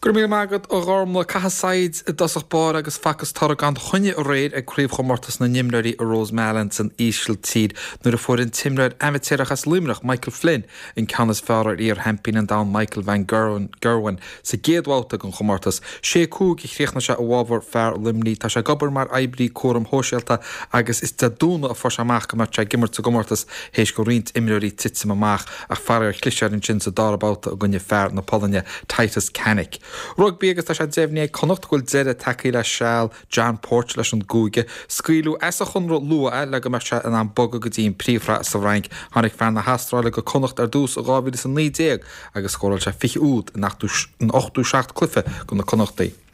Go raibh míle maith agat, a Ghormlaith. Caitheadh saighead i dtosach báire agus facthas toradh gan choinne aréir ag Craobhchomórtas na nImreoirí i Rosmalen san Ísiltír nuair a fuair an t-imreoir amaitéarach as Luimneach, Michael Flynn, an ceann is fearr ar iar-sheaimpín an domhain Michael van Gerwen sa gcéad bhabhta den chomórtas. 6-5 a chríochnaigh sé i bhfabhar fear Luimnigh. Tá sé ag obair mar oibrí cúraim shóisialta agus is Dé Domhnaigh a fuair sé amach go mbeadh sé ag imirt sa gcomórtas théis do roinnt imreoirí titim amach. Ach faraor chlis air ansin sa dara babhta i gcoinne fear na Polainne, Tytus Kanik. Rugbaí agus tá sé deimhnithe ag Connacht go bhfuil deireadh tagtha le seal John Porch leis an gcúige. Scaoileadh as a chonradh luath é le go mbeadh sé in ann bogadh go dtí an Phríomhshraith sa bhFrainc. Tháinig fear na hAstráile go Connacht ar dtús i 2019 agus scóráil sé 20 úd in 87 cluiche do na Connachtaigh.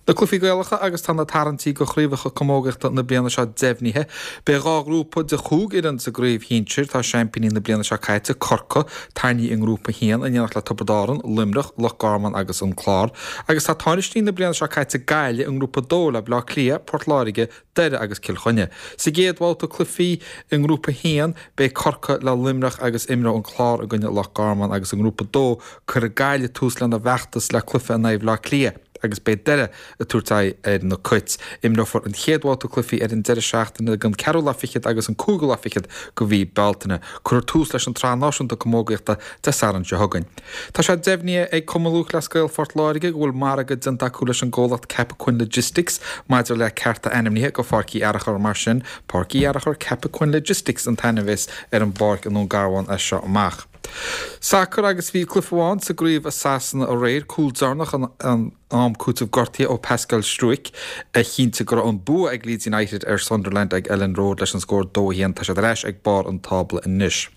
Na cluichí Gaelacha agus tá na tarraingtí do chraobhacha camógaíochta na bliana seo deimhnithe. Beidh 2 ghrúpa de chúig fhoireann sa gcraobh shinsir. Tá seaimpíní na bliana seo caite, Corcaigh, tarraingthe i ngrúpa 1 in éineacht le Tiobraid Árann, Luimneach, Loch Garman agus an Clár. Agus tá tánaistí na bliana seo caite, Gaillimh, i ngrúpa 2 le Baile Átha Cliath, Port Láirge, Doire agus Cill Chainnigh. Sa gcéad bhabhta cluichí i nGrúpa 1, beidh Corcaigh le Luimneach agus imreoidh an Clár i gcoinne Loch Garman agus i nGrúpa 2, cuirfidh Gaillimh tús lena bhfeachtas le cluiche in aghaidh Bhaile Átha Cliath agus beidh Doire ag tabhairt aghaidh ar na Cait. Imreofar an chéad bhabhta cluichí ar an deireadh seachtaine den ceathrú lá fichead agus an cúigiú lá fichead de mhí Bealtaine. Cuirfear tús leis an tSraith Náisiúnta Camógaíochta Dé Sathairn seo chugainn. Tá sé deimhnithe ag Cumann Lúthchleas Gael Phort Láirge go bhfuil margadh déanta acu leis an gcomhlacht Cappoquin Logistics maidir le cearta ainmnithe go Pháirc Uí Fhearachair. Mar sin, Páirc Uí Fhearachair Cappoquin Logistics an t-ainm a bheas ar an bpáirc i nDún Garbhán as seo amach. Sacar agus bhí cluiche amháin sa gcraobh i Sasana aréir, cúl deireanach in am cúitimh gortaithe ó Pascal Struijk a chinntigh go raibh an bua ag Leeds United ar Sunderland ag Elland Road leis an scór 2-1. Tá siad ar ais ag barr an tábla anois.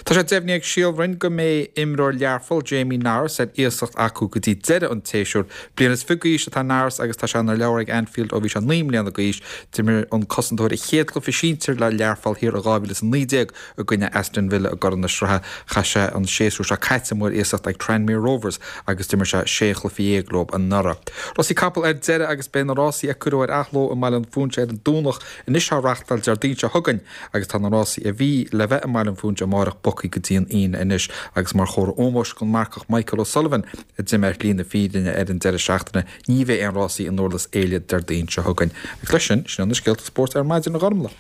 Tá sé deimhnithe ag Síol Bhroin go mbeidh imreoir Learpholl, Jamie Norris, ar iasacht acu go dtí deireadh an tséasúir. Bliain is fiche d'aois atá Norris agus tá sé ina leabhar ag Anfield ó bhí sé 9 mbliana d'aois. D'imir an cosantóir a chéad chluiche sinsir le Learpholl thiar i 2019 I gcoinne Aston Villa i gCorn na Sraithe, chaith sé an séasúr seo caite amuigh ar iasacht ag Tranmere Rovers agus d'imir sé 16 chluiche leo anuraidh. Rásaí capall ar deireadh agus beidh na rásaí a cuireadh ar athló i mBaile an Phúinse ar an Domhnach anois á reachtáil Déardaoin seo chugainn agus tá na rásaí a bhí le bheith i mBaile an Phúinse amárach bogtha go dtí an Aoine anois agus mar chomhartha ómóis don marcach Michael O'Sullivan a d'imigh ar shlí na fírinne ar an deireadh seachtaine ní bheidh aon rásaí i nDurlas Éile Déardaoin seo chugainn. Agus leis sin, sin iad na scéalta spóirt ar maidin, a Ghormlaith.